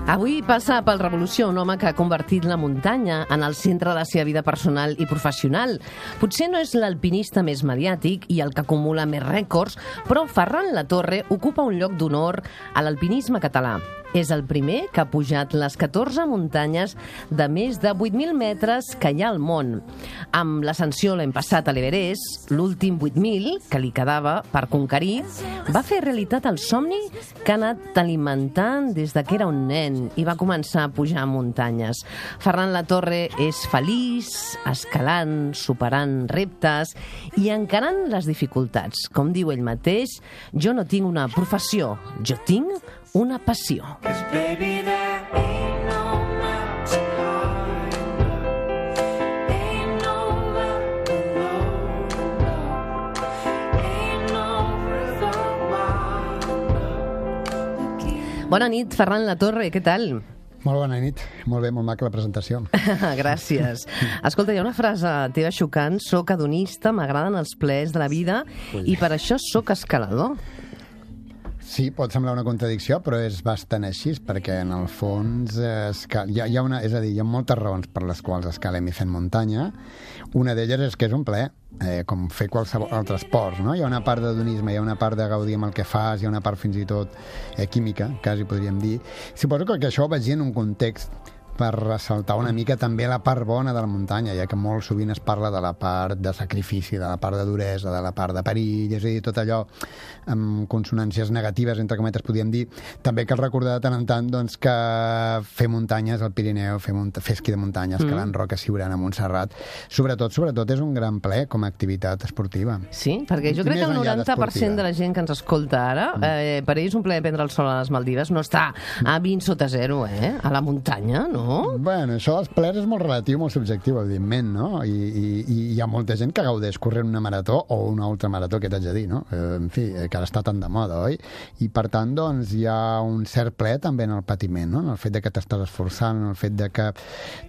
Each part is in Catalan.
Avui passa pel Revolució un home que ha convertit la muntanya en el centre de la seva vida personal i professional. Potser no és l'alpinista més mediàtic i el que acumula més rècords, però Ferran Latorre ocupa un lloc d'honor a l'alpinisme català. És el primer que ha pujat les 14 muntanyes de més de 8.000 metres que hi ha al món. Amb l'ascensió l'any passat a l'Everest, l'últim 8.000 que li quedava per conquerir, va fer realitat el somni que ha anat alimentant des de que era un nen i va començar a pujar muntanyes. Ferran Latorre és feliç, escalant, superant reptes i encarant les dificultats. Com diu ell mateix, jo no tinc una professió, jo tinc una passió. Bona nit, Ferran Latorre, què tal? Molt bona nit, molt bé, molt maca la presentació. Gràcies. Escolta, hi ha una frase teva xocant: soc hedonista, m'agraden els plaers de la vida i per això soc escalador. Sí, pot semblar una contradicció, però és bastant així, perquè en el fons hi ha moltes raons per les quals escalem i fem muntanya. Una d'elles és que és un plaer, com fer qualsevol altre esport, no? Hi ha una part d'hedonisme, hi ha una part de gaudir amb el que fas, hi ha una part fins i tot química, quasi podríem dir. Suposo que això ho vaig dir en un context per ressaltar una mica també la part bona de la muntanya, ja que molt sovint es parla de la part de sacrifici, de la part de duresa, de la part de perill, és a dir, tot allò amb consonàncies negatives, entre cometes, podríem dir. També cal recordar de tant en tant doncs, que fer muntanyes al Pirineu, fer esquí de muntanya, escalant Roca Siurana, Montserrat, sobretot és un gran plaer com a activitat esportiva. Sí, perquè jo crec que el 90% de la gent que ens escolta ara, per ells un plaer prendre el sol a les Maldives no està a 20 sota 0, a la muntanya, no? Bueno, això dels plaers és molt relatiu, molt subjectiu, evidentment, no? I hi ha molta gent que gaudeix corrent una marató o una ultramarató, que t'haig de dir, no? En fi, que ara està tan de moda, oi? I per tant, doncs, hi ha un cert plaer també en el patiment, no? En el fet de que t'estàs esforçant, en el fet de que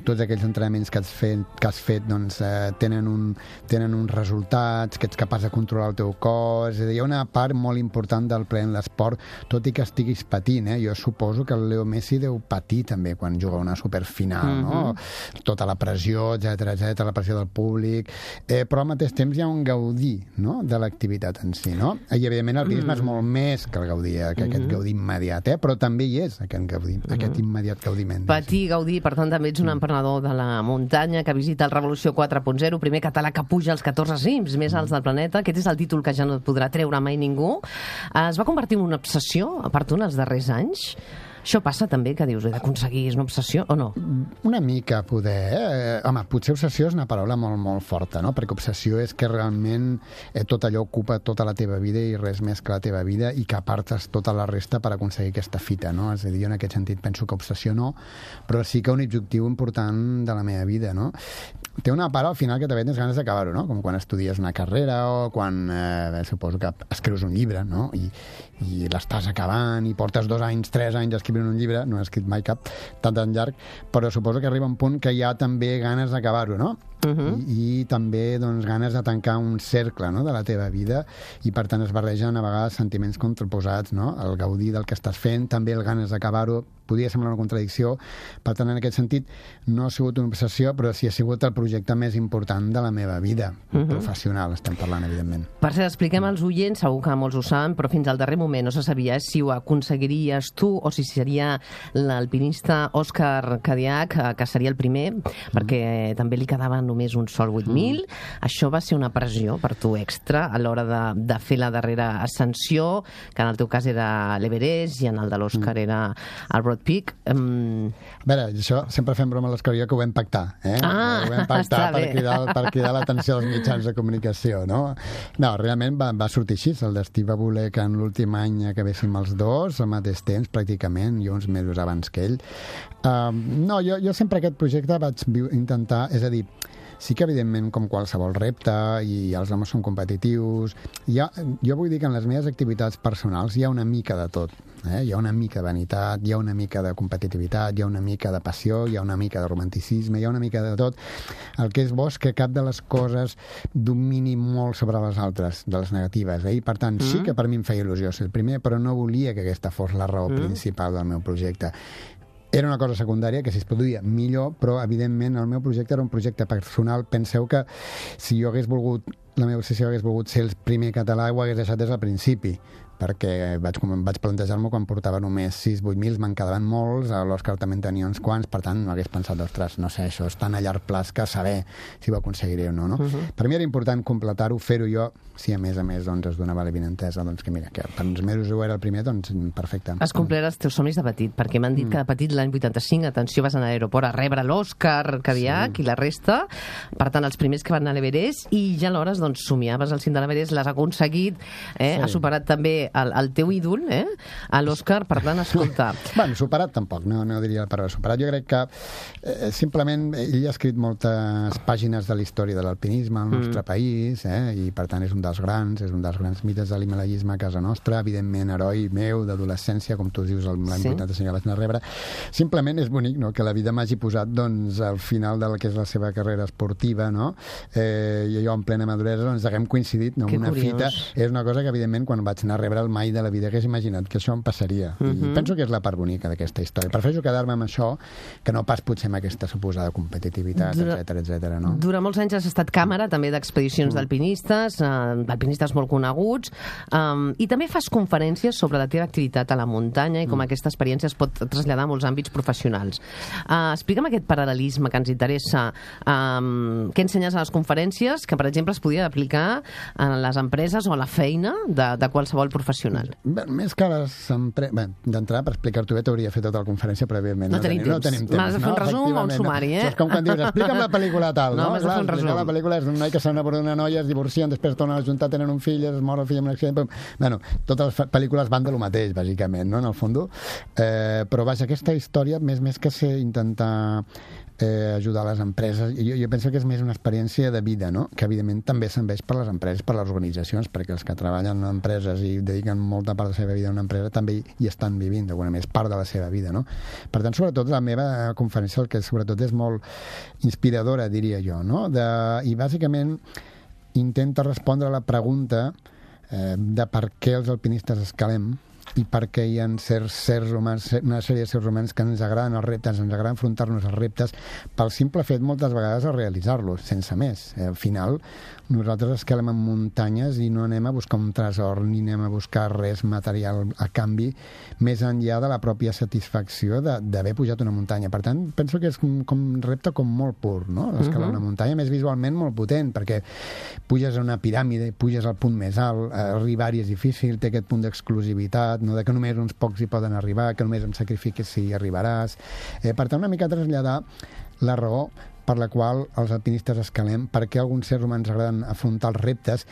tots aquells entrenaments que has fet doncs, tenen uns resultats, que ets capaç de controlar el teu cos. És a dir, hi ha una part molt important del plaer en l'esport, tot i que estiguis patint, Jo suposo que el Leo Messi deu patir també quan juga una superfinal, no? Tota la pressió, etcètera, la pressió del públic, però al mateix temps hi ha un gaudir, no?, de l'activitat en si, no? I evidentment el turisme és molt més que el gaudir, que aquest gaudir immediat, però també hi és aquest gaudir, aquest immediat gaudiment. Patir, gaudir, per tant també ets un emprenedor de la muntanya que visita el Revolució 4.0, primer català que puja als 14 cims més alts del planeta. Aquest és el títol que ja no et podrà treure mai ningú. Es va convertir en una obsessió, a part tu, en els darrers anys? Això passa també, que dius, he d'aconseguir, és una obsessió o no? Una mica, poder. Home, potser obsessió és una paraula molt, molt forta, no? Perquè obsessió és que realment tot allò ocupa tota la teva vida i res més que la teva vida i que apartes tota la resta per aconseguir aquesta fita, no? És a dir, jo en aquest sentit penso que obsessió no, però sí que un objectiu important de la meva vida, no? Té una part al final que també tens ganes d'acabar-ho, no? Com quan estudies una carrera o quan, suposo que escrius un llibre, no? I l'estàs acabant i portes 2 anys, 3 anys escrivint un llibre, no he escrit mai cap tan llarg, però suposo que arriba un punt que hi ha també ganes d'acabar-ho, no? I també doncs, ganes de tancar un cercle, no?, de la teva vida, i per tant es barregen a vegades sentiments contraposats, no? El gaudir del que estàs fent, també el ganes d'acabar-ho, podria semblar una contradicció. Per tant, en aquest sentit, no ha sigut una obsessió, però sí ha sigut el projecte més important de la meva vida professional, estem parlant, evidentment. Per cert, expliquem als oients, segur que molts ho saben, però fins al darrer moment no se sabia si ho aconseguiries tu o si seria l'alpinista Òscar Cadiach, que seria el primer, perquè també li quedava només un sol 8.000. Això va ser una pressió per tu extra a l'hora de fer la darrera ascensió, que en el teu cas era l'Everest i en el de l'Òscar era el Broad Peak. A veure, això sempre fem broma a l'Òscar i jo, que ho vam pactar, ho vam pactar per cridar l'atenció dels mitjans de comunicació, no? No, realment va sortir així. El destí va voler que en l'últim any acabéssim els dos al mateix temps, pràcticament, jo uns mesos abans que ell. No, jo sempre aquest projecte vaig intentar, és a dir, sí que, evidentment, com qualsevol repte, i els homes són competitius, jo vull dir que en les meves activitats personals hi ha una mica de tot. Hi ha una mica de vanitat, hi ha una mica de competitivitat, hi ha una mica de passió, hi ha una mica de romanticisme, hi ha una mica de tot. El que és bo és que cap de les coses domini molt sobre les altres, de les negatives. I, per tant, sí que per mi em feia il·lusió ser el primer, però no volia que aquesta fos la raó principal del meu projecte. Era una cosa secundària que si es produïa millor, però evidentment el meu projecte era un projecte personal. Penseu que si jo hagués volgut, la meva obsessió hagués volgut ser el primer català, ho hagués deixat des del principi, perquè vaig plantejar-m'ho quan portava només 6-8 mils, me'n quedaven molts, a l'Òscar també en tenia uns quants, per tant, no hagués pensat, ostres, no sé, això és tan a llarg plaç que saber si ho aconseguiré o no, no? Per mi era important completar-ho, fer-ho jo, si a més doncs es donava l'evidentesa, doncs que mira, que per uns mesos ho era el primer, doncs perfecte. Has complert els teus somnis de petit, perquè m'han dit que de petit l'any 85, atenció, vas anar a l'aeroport a rebre l'Òscar Cadillac i la resta, per tant, els primers que van anar a l'Everest, i ja alhores, doncs, somiaves al cim de l'Everest, l'has aconseguit, has superat també el teu ídol, a l'Òscar, per tant, escolta... Bueno, superat tampoc, no diria la paraula superat. Jo crec que simplement ell ha escrit moltes pàgines de la història de l'alpinisme al nostre país, i per tant és un dels grans mites de l'himalaisme a casa nostra, evidentment heroi meu d'adolescència, com tu dius, l'any 85 vaig anar a rebre. Simplement és bonic, no?, que la vida m'hagi posat, doncs, al final del que és la seva carrera esportiva, no?, i jo en plena maduresa, doncs, haguem coincidit, no?, una fita. És una cosa que, evidentment, quan vaig anar a rebre el mai de la vida hagués imaginat que això em passaria. I penso que és la part bonica d'aquesta història. Prefereixo quedar-me amb això que no pas potser amb aquesta suposada competitivitat, etc. no? Durant molts anys has estat càmera també d'expedicions d'alpinistes, alpinistes molt coneguts, i també fas conferències sobre la teva activitat a la muntanya i com aquesta experiència es pot traslladar a molts àmbits professionals. Explica'm aquest paral·lelisme que ens interessa. Què ensenyes a les conferències que, per exemple, es podia aplicar a les empreses o a la feina de qualsevol professional? Bé, més que les empreses... D'entrada, per explicar-t'ho bé, t'hauria fet tota la conferència prèviament. No tenim temps. M'has de fer un resum o un sumari, Això és com quan dius, explica'm la pel·lícula tal, no? M'has de fer un resum. La pel·lícula és d'un noi que s'enamora d'una noia, es divorcien, després tornen a juntar, tenen un fill, es mor el fill en un accident... Bueno, totes les pel·lícules van de lo mateix, bàsicament, no?, en el fons. Però, vaja, aquesta història, més que ser intentar ajudar les empreses, jo penso que és més una experiència de vida, no?, que evidentment també serveix per les empreses, per les organitzacions, perquè els que treballen en empreses i dediquen molta part de la seva vida a una empresa també hi estan vivint, d'alguna manera, és part de la seva vida, no? Per tant, sobretot, la meva conferència el que sobretot és molt inspiradora, diria jo, no?, i bàsicament intenta respondre a la pregunta de per què els alpinistes escalem i perquè hi ha certs humans, una sèrie de certs humans que ens agraden els reptes, ens agrada enfrontar-nos als reptes pel simple fet moltes vegades de realitzar-los, sense més. Al final, nosaltres escalem en muntanyes i no anem a buscar un tresor ni anem a buscar res material a canvi, més enllà de la pròpia satisfacció d'haver pujat una muntanya. Per tant, penso que és com un repte com molt pur, no?, l'escalar una muntanya, més visualment molt potent, perquè puges a una piràmide, puges al punt més alt, arribar-hi és difícil, té aquest punt d'exclusivitat, no?, de que només uns pocs hi poden arribar, que només em sacrifiquis si hi arribaràs. Per tant, una mica traslladar la raó per la qual els alpinistes escalem, per què alguns éssers humans agraden afrontar els reptes,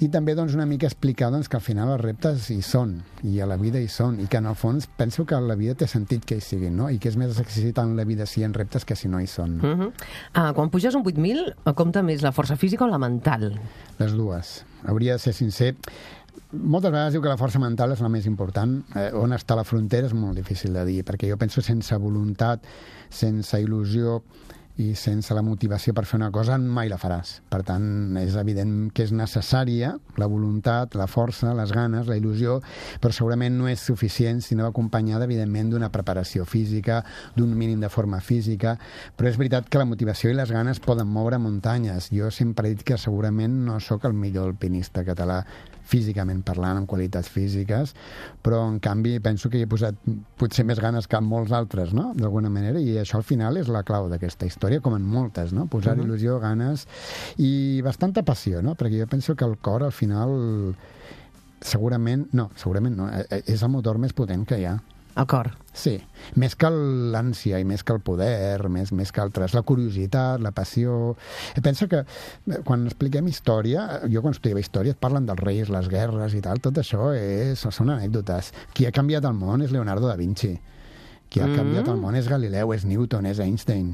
i també doncs, una mica explicar doncs, que al final els reptes hi són, i a la vida hi són, i que en el fons penso que la vida té sentit que hi siguin, no?, i que és més excitant la vida si hi ha reptes que si no hi són. Quan puges un 8.000, compta més la força física o la mental? Les dues. Hauria de ser sincer. Moltes vegades diu que la força mental és la més important. On està la frontera és molt difícil de dir, perquè jo penso sense voluntat, sense il·lusió i sense la motivació per fer una cosa mai la faràs. Per tant, és evident que és necessària la voluntat, la força, les ganes, la il·lusió, però segurament no és suficient si no va acompanyada, evidentment, d'una preparació física, d'un mínim de forma física, però és veritat que la motivació i les ganes poden moure muntanyes. Jo sempre he dit que segurament no sóc el millor alpinista català físicament parlant, amb qualitats físiques, però en canvi penso que hi he posat potser més ganes que en molts altres, no?, d'alguna manera, i això al final és la clau d'aquesta història, com en moltes, no?, posar il·lusió, ganes i bastanta passió, no?, perquè jo penso que el cor al final segurament no, és el motor més potent que hi ha. El cor. Sí, més que l'ànsia i més que el poder, més que altres, la curiositat, la passió. Pensa que quan expliquem història, jo quan estudiava història et parlen dels reis, les guerres i tal, tot això són anècdotes. Qui ha canviat el món és Leonardo da Vinci. Qui ha canviat el món és Galileu, és Newton, és Einstein,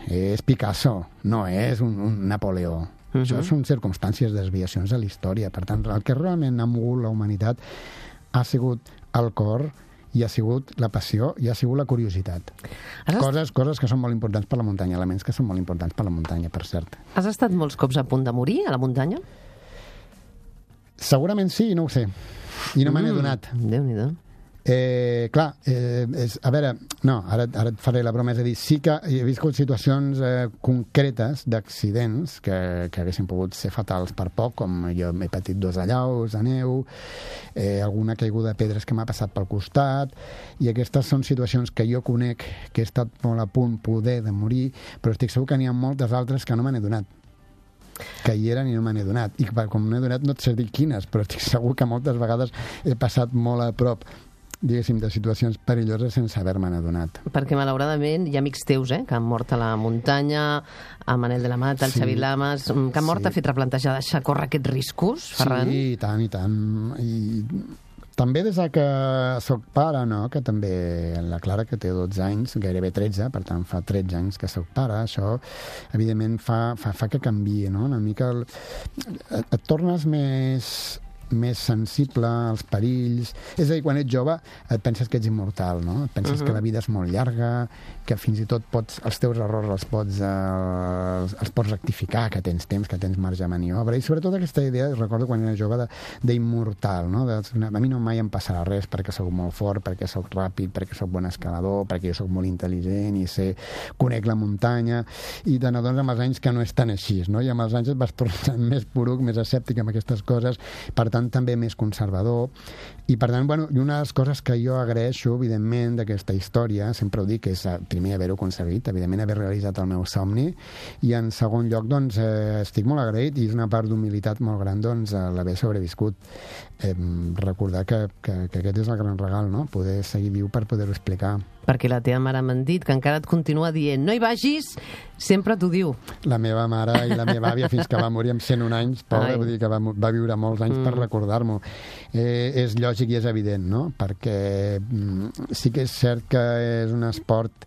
és Picasso, no és un Napoleó. Això són circumstàncies, desviacions de la història. Per tant, el que realment ha mogut la humanitat ha sigut el cor, i ha sigut la passió i ha sigut la curiositat. Coses que són molt importants per la muntanya, elements que són molt importants per la muntanya, per cert. Has estat molts cops a punt de morir a la muntanya? Segurament sí, no ho sé. I no me n'he donat. Déu-n'hi-do. Clar, a veure, no, ara et faré la broma, és a dir, sí que he viscut situacions concretes d'accidents que haguessin pogut ser fatals per poc, com jo he patit 2 allaus de neu, alguna caiguda de pedres que m'ha passat pel costat, i aquestes són situacions que jo conec, que he estat molt a punt poder de morir, però estic segur que n'hi ha moltes altres que no me n'he donat, que hi eren i no me n'he donat, i com no he donat no et sé dir quines, però estic segur que moltes vegades he passat molt a prop, diguéssim, de situacions perilloses sense haver-me'n adonat. Perquè, malauradament, hi ha amics teus, que han mort a la muntanya, a Manel de la Mata, el Xavi Lamas, que han mort ha fet replantejar deixar córrer aquests riscos, Ferran? Sí, i tant, i tant. I també des que soc pare, no?, que també la Clara, que té 12 anys, gairebé 13, per tant fa 13 anys que soc pare, això evidentment fa que canviï, no?, una mica et tornes més sensible als perills. És a dir, quan ets jove et penses que ets immortal, no? Et penses que la vida és molt llarga, que fins i tot els teus errors els pots rectificar, que tens temps, que tens marge de maniobra, i sobretot aquesta idea, recordo quan era jove, d'immortal, no? A mi no mai em passarà res perquè sóc molt fort, perquè sóc ràpid, perquè sóc bon escalador, perquè jo sóc molt intel·ligent i conec la muntanya, i te n'adones amb els anys que no és tan així, no? I amb els anys et vas tornant més poruc, més escèptic amb aquestes coses, per tant també més conservador, i per tant, bueno, i una de les coses que jo agraeixo, evidentment, d'aquesta història, sempre ho dic, és primer haver-ho aconseguit, evidentment haver realitzat el meu somni, i en segon lloc, doncs, estic molt agraït, i és una part d'humilitat molt gran, doncs, l'haver sobreviscut. Recordar que aquest és el gran regal, no?, poder seguir viu per poder-ho explicar. Perquè la teva mare m'han dit que encara et continua dient no hi vagis, sempre t'ho diu. La meva mare i la meva àvia, fins que va morir amb 101 anys, pobra, vull dir que va viure molts anys per recordar-m'ho. És lògic i és evident, no?, perquè sí que és cert que és un esport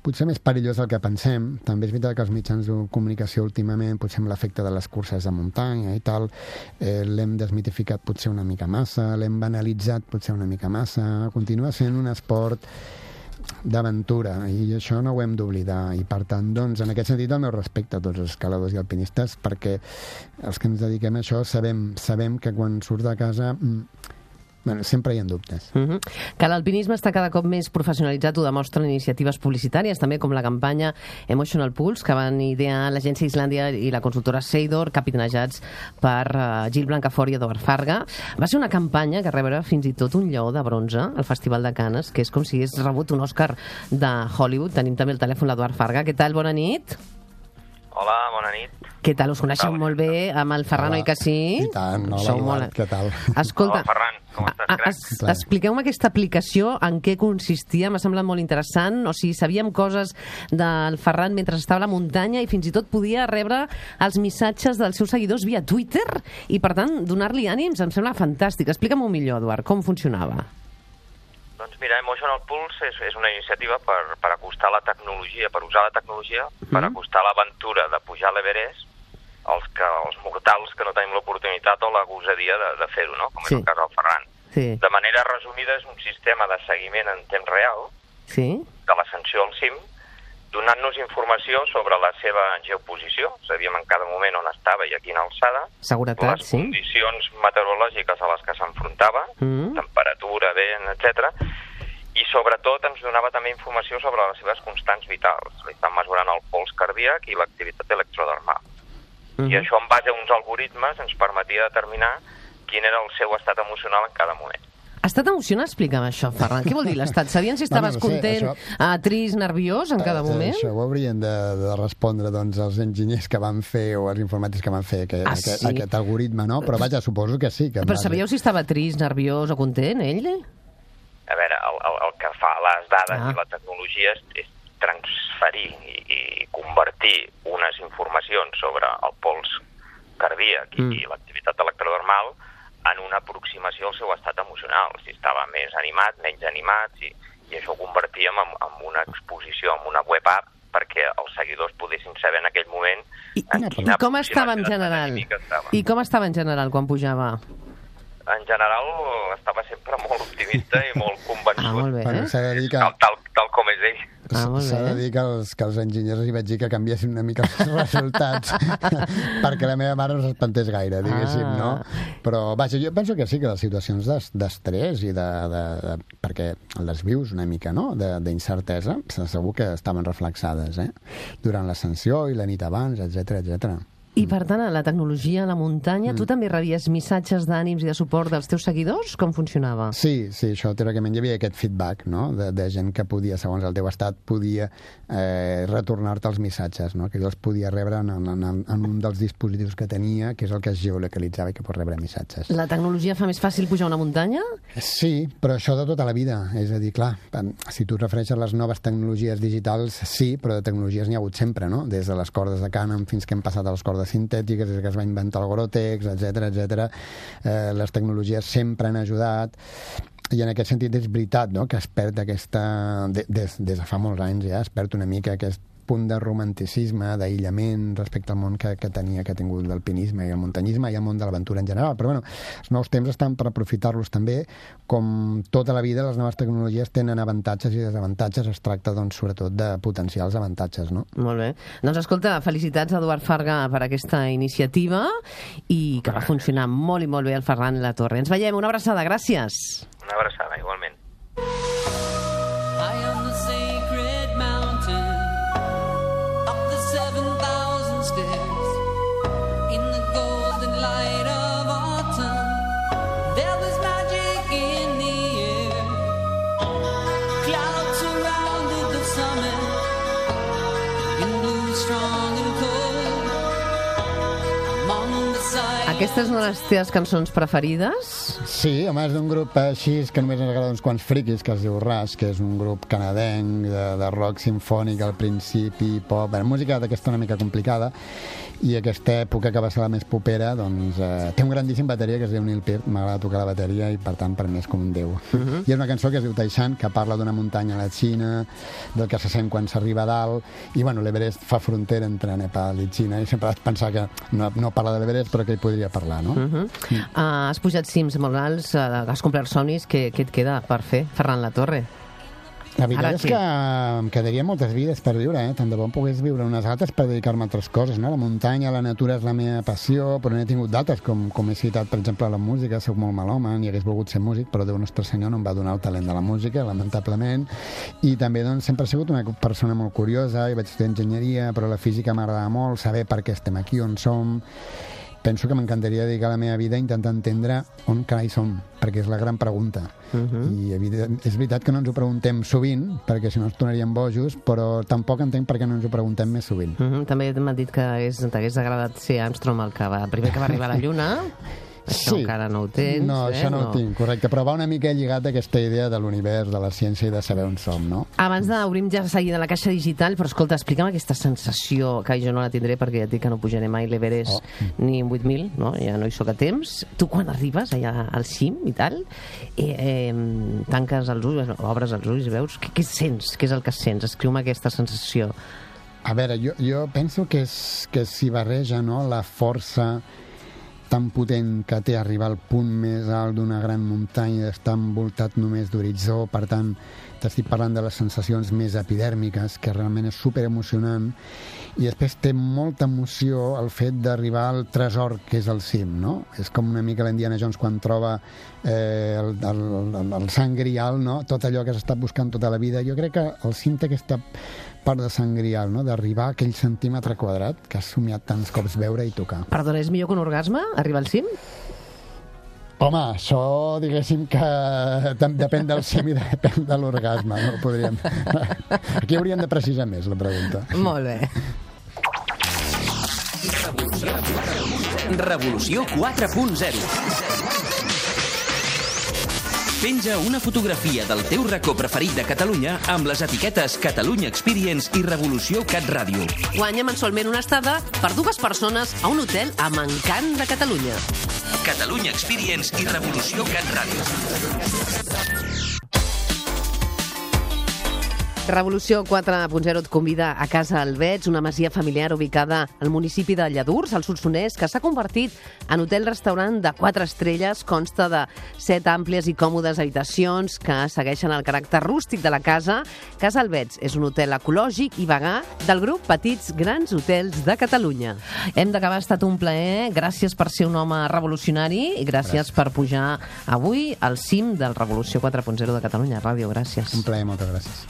potser més perillós del que pensem. També és veritat que els mitjans de comunicació últimament, potser amb l'efecte de les curses de muntanya i tal, l'hem desmitificat potser una mica massa, l'hem banalitzat potser una mica massa, continua sent un esport d'aventura, i això no ho hem d'oblidar, i per tant, doncs, en aquest sentit el meu respecte a tots els escaladors i alpinistes, perquè els que ens dediquem a això sabem que quan surts de casa sempre hi ha dubtes. Que l'alpinisme està cada cop més professionalitzat ho demostren iniciatives publicitàries, també com la campanya Emotional Pulse, que van idear l'agència Islàndia i la consultora Seidor, capitanejats per Gil Blancafort i Eduard Farga. Va ser una campanya que rebrà fins i tot un lleó de bronze al Festival de Canes, que és com si hagués rebut un Òscar de Hollywood. Tenim també el telèfon l'Eduard Farga. Què tal? Bona nit. Hola, bona nit. Què tal? Us coneixeu molt bé amb el Ferran, oi que sí? I tant, hola, Eduard, què tal? Escolta, hola, Ferran, com estàs, crec? Expliqueu-me aquesta aplicació, en què consistia, m'ha semblat molt interessant, o sigui, sabíem coses del Ferran mentre estava a la muntanya i fins i tot podia rebre els missatges dels seus seguidors via Twitter i, per tant, donar-li ànims, em sembla fantàstic. Explica'm-ho millor, Eduard, com funcionava. Doncs mira, Emotional Pulse és una iniciativa per acostar la tecnologia, per usar la tecnologia, per acostar l'aventura de pujar a l'Everest als mortals que no tenim l'oportunitat o la gosadia de fer-ho, no? Com és el cas del Ferran. Sí. De manera resumida, és un sistema de seguiment en temps real de l'ascensió al cim, donant-nos informació sobre la seva geoposició, sabíem en cada moment on estava i a quina alçada, seguretat, les condicions meteorològiques a les que s'enfrontava, temperatura, vent, etc. I sobretot ens donava també informació sobre les seves constants vitals. Li estan mesurant el pols cardíac i l'activitat electrodermal. I això, en base a uns algoritmes, ens permetia determinar quin era el seu estat emocional en cada moment. Estat emocional? Explica'm això, Ferran. Què vol dir l'estat? Sabien si estaves content, trist, nerviós en cada moment? Això ho haurien de respondre doncs, els enginyers que van fer o els informàtics que van fer aquest algoritme, no? Però vaja, suposo que sí. Però sabíeu si estava trist, nerviós o content, ell? A veure, el que fa les dades i la tecnologia és transferir i convertir unes informacions sobre el pols cardíac i l'activitat electrodermal en una aproximació al seu estat emocional, si estava més animat, menys animat, i això ho convertíem en una exposició, en una web app, perquè els seguidors poguessin saber en aquell moment I com estava en general? I com estava en general quan pujava? En general estava sempre molt optimista i molt convençut. Molt bé. Bueno, s'ha de dir que... tal com és ell. S'ha de dir que els enginyers hi vaig dir que canviessin una mica els resultats perquè la meva mare no s'espantés gaire, diguéssim, no? Però, vaja, jo penso que sí, que les situacions d'estrès i perquè les vius una mica, no?, d'incertesa, segur que estaven reflexades, durant l'ascensió i la nit abans, etc. I, per tant, a la tecnologia, a la muntanya, tu també rebies missatges d'ànims i de suport dels teus seguidors? Com funcionava? Sí, això, teòricament hi havia aquest feedback, no?, de gent que podia, segons el teu estat, podia retornar-te els missatges, no?, que jo els podia rebre en un dels dispositius que tenia, que és el que es geolocalitzava i que pot rebre missatges. La tecnologia fa més fàcil pujar una muntanya? Sí, però això de tota la vida. És a dir, clar, si tu et refereixes a les noves tecnologies digitals, sí, però de tecnologies n'hi ha hagut sempre, no?, des de les cordes de cànem fins que hem passat a les cordes sintètiques, des que es va inventar el Gore-Tex, etc. Les tecnologies sempre han ajudat, i en aquest sentit és veritat, no?, que es perd aquesta... Des de fa molts anys ja es perd una mica aquest punt de romanticisme, d'aïllament respecte al món que ha tingut l'alpinisme i el muntanyisme i el món de l'aventura en general. Però, els nous temps estan per aprofitar-los també. Com tota la vida, les noves tecnologies tenen avantatges i desavantatges. Es tracta, doncs, sobretot de potenciar els avantatges, no? Molt bé. Doncs, escolta, felicitats a Eduard Farga per aquesta iniciativa i que va funcionar molt i molt bé el Ferran Latorre. Ens veiem. Una abraçada. Gràcies. Una abraçada, igualment. Aquestes són les teves cançons preferides? Sí, home, és d'un grup així que només ens agrada uns quants friquis, que es diu Rush, que és un grup canadenc de rock simfònic al principi, pop, música d'aquesta una mica complicada, i aquesta època que va ser la més popera, doncs, té un grandíssim bateria que es diu Neil Peart, m'agrada tocar la bateria i per tant per mi és com un déu. I és una cançó que es diu Taishan, que parla d'una muntanya a la Xina, del que se sent quan s'arriba a dalt, i bueno, l'Everest fa frontera entre Nepal i Xina, i sempre has pensat que no parla de l'Everest, però que hi podria parlar, no? Has pujat cims molt alts, has complert somnis, què et queda per fer, Ferran Latorre? La veritat és que em quedaria moltes vides per viure, tant de bo em pogués viure unes altres per dedicar-me a altres coses, no? La muntanya, la natura és la meva passió, però n'he tingut d'altres, com he citat, per exemple, la música. Soc molt melòman i hagués volgut ser músic, però Déu Nostre Senyor no em va donar el talent de la música, lamentablement, i també, doncs, sempre he sigut una persona molt curiosa, i vaig estudiar enginyeria, però la física m'agrada molt, saber per què estem aquí, on som. Penso que m'encantaria dedicar la meva vida a intentar entendre on carai som, perquè és la gran pregunta. I és veritat que no ens ho preguntem sovint, perquè si no ens tornaríem bojos, però tampoc entenc per què no ens ho preguntem més sovint. També m'han dit que t'hagués agradat ser Armstrong el primer que va arribar a la Lluna. Això encara no ho tens. No, això no ho tinc, correcte. Però va una mica lligat a aquesta idea de l'univers, de la ciència i de saber on som, no? Abans d'obrim ja seguida la caixa digital, però escolta, explica'm aquesta sensació, que jo no la tindré perquè ja et dic que no pujaré mai l'Everest ni en 8.000, no? Ja no hi soc a temps. Tu quan arribes allà al cim i tal, tanques els ulls, obres els ulls i veus, què sents? Què és el que sents? Escriu-me aquesta sensació. A veure, jo penso que s'hi barreja, no?, la força tan potent que té arribar al punt més alt d'una gran muntanya, d'estar envoltat només d'horitzó. Per tant, t'estic parlant de les sensacions més epidèrmiques, que realment és superemocionant, i després té molta emoció el fet d'arribar al tresor que és el cim, no? És com una mica l'Indiana Jones quan troba el Sant Grial, no? Tot allò que s'ha estat buscant tota la vida. Jo crec que el cim té aquesta part de Sant Grial, no?, d'arribar a aquell centímetre quadrat que has somiat tants cops veure i tocar. Perdona, és millor que un orgasme, arribar al cim? Home, això diguéssim que depèn del cim i depèn de l'orgasme, no podríem... Aquí hauríem de precisar més la pregunta. Molt bé. Revolució 4.0. Penja una fotografia del teu racó preferit de Catalunya amb les etiquetes Catalunya Experience i Revolució Cat Ràdio. Guanya mensualment una estada per 2 persones a un hotel amb encant de Catalunya. Catalunya Experience i Revolució Cat Ràdio. Revolució 4.0 et convida a Casa Alvets, una masia familiar ubicada al municipi de Lladurs, al Solsonès, que s'ha convertit en hotel-restaurant de 4 estrelles. Consta de 7 àmplies i còmodes habitacions que segueixen el caràcter rústic de la casa. Casa Alvets és un hotel ecològic i vegà del grup Petits Grans Hotels de Catalunya. Hem d'acabar, ha estat un plaer. Gràcies per ser un home revolucionari i gràcies per pujar avui al cim del Revolució 4.0 de Catalunya Ràdio. Gràcies. Un plaer, moltes gràcies.